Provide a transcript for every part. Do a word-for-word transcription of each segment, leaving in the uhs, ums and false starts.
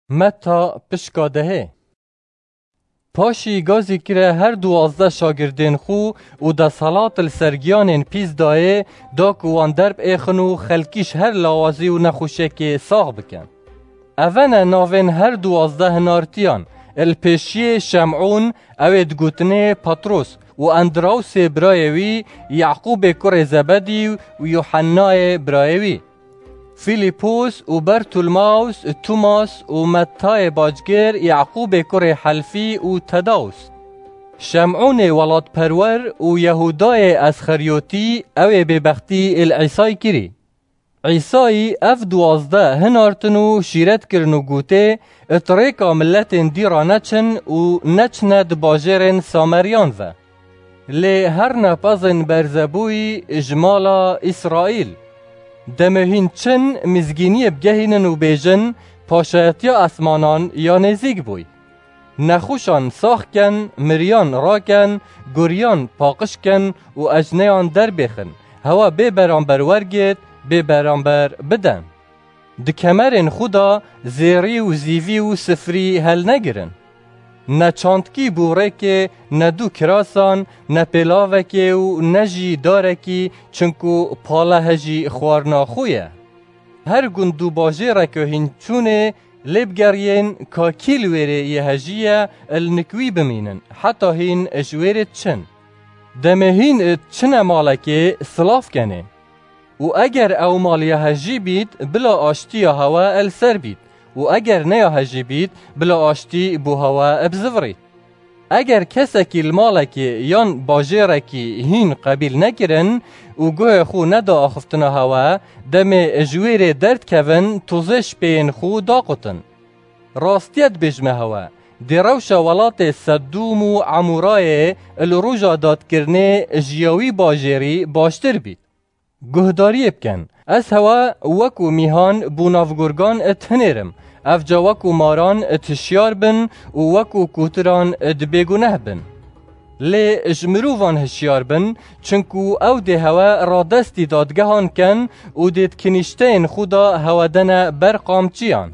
Meta pişka dehê. Paşî gazî kire her duwazdeh şagirdên xwe û desthilat li ser giyanên pîs dayê, da ku wan derb êxin û xelkî ji her lawazî û nexweşiyekê sax bikin. Eve ne navên her duwazdeh hinartiyan: li pêşiyê Şemûn, ew ê digotinê Petros, û Endrawsê birayê wî, Yaqûbê kurê Zebedî û Yuhennayê birayê wî, Fîlîpos û Bertulmaws, Tumas û Mettayê bacgir, Yaqûbê kurê Helfî û Tedaws, Şemûnê welatperwer û Yehûdayê Esxeryotî, ew ê bêbextî li Îsayî kirî. Îsayî ev duwazdeh hinartin û şîret kirin û gotê: Di rêka miletên dî re neçin û neçine di bajêrên Sameriyan ve. Lê herne pezên berzebûyî ji mala Îsraîl. Demê hîn çin, mizgîniyê bigehînin û bêjin: Paşayetiya esmanan ya nêzîk bûy. Nexweşan sax ken, miriyan raken, guriyan paqij ken û ecneyan derbêxin, hewa bê beramber wergêt, bê beramber biden. Di kemerên xwe de zêrî û zîvî û sifrî helnegirin. Ne çandkî bû rêkê, ne du kirasan, ne pêlavekê û ne jî darekî, çinku pale hejî xwarina xwe ye. Her gund û bajêreke hîn çûnê lê bigeriyên ka kî li wêrê yê hejî ye, li nik wî bimînin, heta hîn ji wêrê diçin. Demê hîn diçine malekê, silav kenê. Û eger ew mal ya hejî bît, bila aştiya hewe li ser bît. Û eger ne ya hejî bît, bila aştî bo hewe bizivirît. Eger kesekî li malekê yan bajêrekî hîn qebîl nekirin û guhê xwe neda axiftina hewe, demê ji wêrê derdikevin, tozê ji pêyên xwe daqutin. Rastiye dibêjime hewe, dê rewşa welatê Sedûm û Emûrayê li roja dadkirinê ji ya wî bajêrî baştir bît. Guhdariyê bikin. Ez hewe wekû mîhan bo nav gurgan dihinêrim. Evca wekû maran dihişyar bin û wekû kotiran dibêguneh bin. Lê ji mirovan hişyar bin, çinku ew dê hewe radestî dadgehan ken û dê di kinîşteyên xwe de hewe dene ber qamçiyan.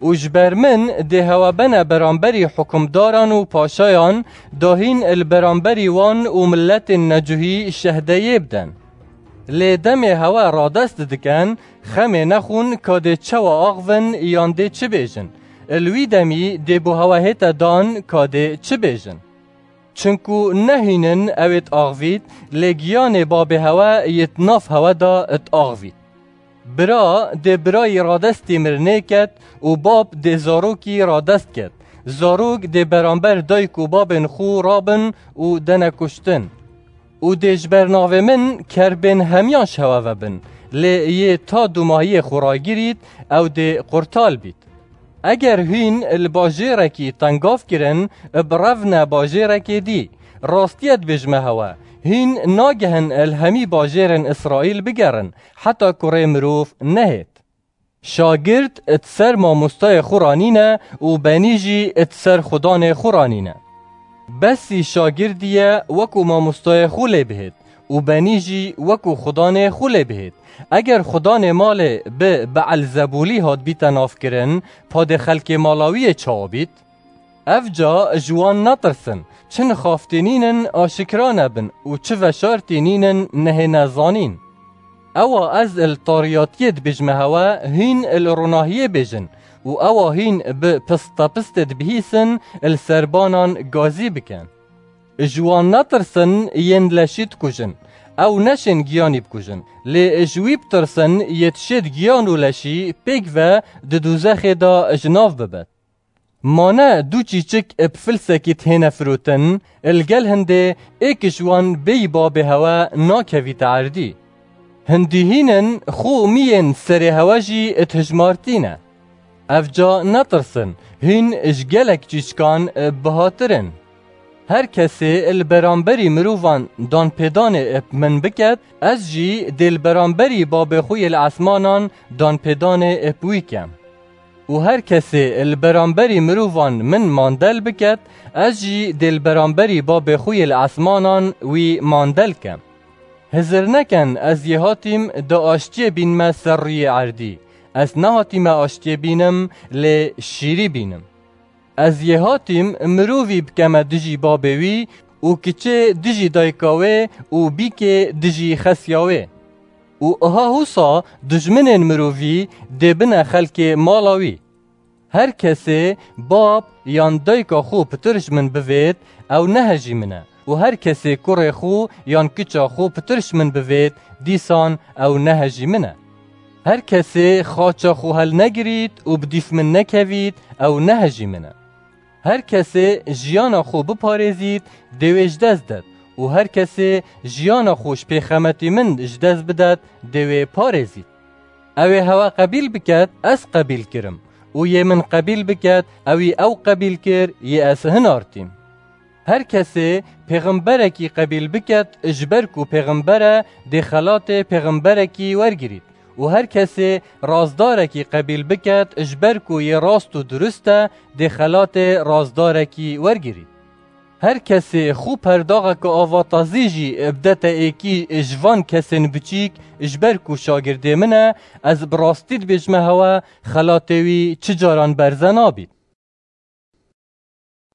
Û ji ber min dê hewe bene beramberî hukimdaran û paşayan, da hîn li beramberî wan û miletên necuhî şehdeyê biden. Lê demê hewe radest dikin, xemê nexwin ka dê çawa axivin yan dê çi bêjin. Li wî demî dê bo hewe hête dan ka dê çi bêjin. Çinku ne hîn in ew ê diaxivît, lê giyanê babê hewe yê di nav hewe de diaxivît. Bira dê birayî radestî mirinê ket û bab dê zarokî radest ket. Zarok dê beramber dayik û babên xwe rabin û dene kuştin. Û dê ji ber navê min kerbên hemiyan ji hewe vebin, lê yê ta dûmahiyê xwe ragirît, ew dê qurtal bît. Eger hîn li bajêrekî tengav kirin, birevne bajêrekê dî. Rastiye dibêjime hewe, hîn nagehin li hemî bajêrên Îsraîl bigerin, heta kurê mirov nehêt. Şagird di ser mamostayê xwe ranîne û benî jî di ser xudanê xwe ranîne. Besî şagirdî ye wekû mamostayê xwe lê bihêt û benî jî wekû xudanê xwe lê bihêt. Eger xudanê malê bi Beelzebûlî hatbîte navkirin, padê xelkê mala wî yê çawa bît? Evca ji wan netirsin, çi nixaftî nînin aşikra nebin û çi veşartî nînin nehêne zanîn. Ewa ez li tariyatiyê dibêjime hewe, hîn li ronahiyê bêjin û ewa hîn bi pistepistê dibihîsin, li ser banan gazî bikin. Ji wan netirsin, yên leşî dikujin. Ew neşên giyanî bikujin. Lê ji wî bitirsin, yê dişêt giyan û leşî pêk ve di dûzexê de ji nav bibet. Ma ne du çîçik bi filsekî dihêne firotin, li gel hindê êk ji wan bêyî babê hewe nakevîte erdî. Hindî hîn in xwe û miyên serê hewe jî dihijmartîne. Evca netirsin, hîn ji gelek çîçikan bihatir in. Her kesê li beramberî mirovan danpêdanê bi min biket, ez jî dê li beramberî babê xwe yê li esmanan danpêdanê bi wî kem. Û her kesê li beramberî mirovan min mandel biket, ez jî dê li beramberî babê xwe yê li esmanan wî mandel kem. Hizir neken, ez yê hatîm da aştiyê bînme ser rûyê erdî. Ez nehatîme aştiyê bînim, lê şîrî bînim. Ez yê hatîm mirovî bikeme dijî babê wî û kiçê dijî dayika wê û bîkê dijî xesiya wê. Û iha husa dijminên mirovî dê bine xelkê mala wî. Her kesê bab yan dayika xwe pitir ji min bivêt, ew nehejî min e. Û her kesê kurê xwe yan kiça xwe pitir ji min bivêt, dîsan ew nehejî min e. Her kesê xaça xwe helnegirît û bi dîf min nekevît, ew nehejî min e. Her kesê jiyana xwe biparêzît, dê wê ji dest det û her kesê jiyana xwe ji pêxemetî min ji dest bidet, dê wê parêzît. Ew ê hewe qebîl biket, ez qebîl kirim û yê min qebîl biket, ewî ew qebîl kir, yê ez hinartîm. Her kesê pêxemberekî qebîl biket, ji ber ku pêxember e, dê xelatê pêxemberekî wergirît û her kesê razdarekî qebîl biket, ji ber ku yê rast û durust e, dê xelatê razdarekî wergirît. Her kesê xwe perdaxeke avatazî jî bidete êkî ji van kesên biçîk, ji ber ku şagirdê min e, ez bi rastî dibêjime hewe, xelatê wî çi caran berze nabît.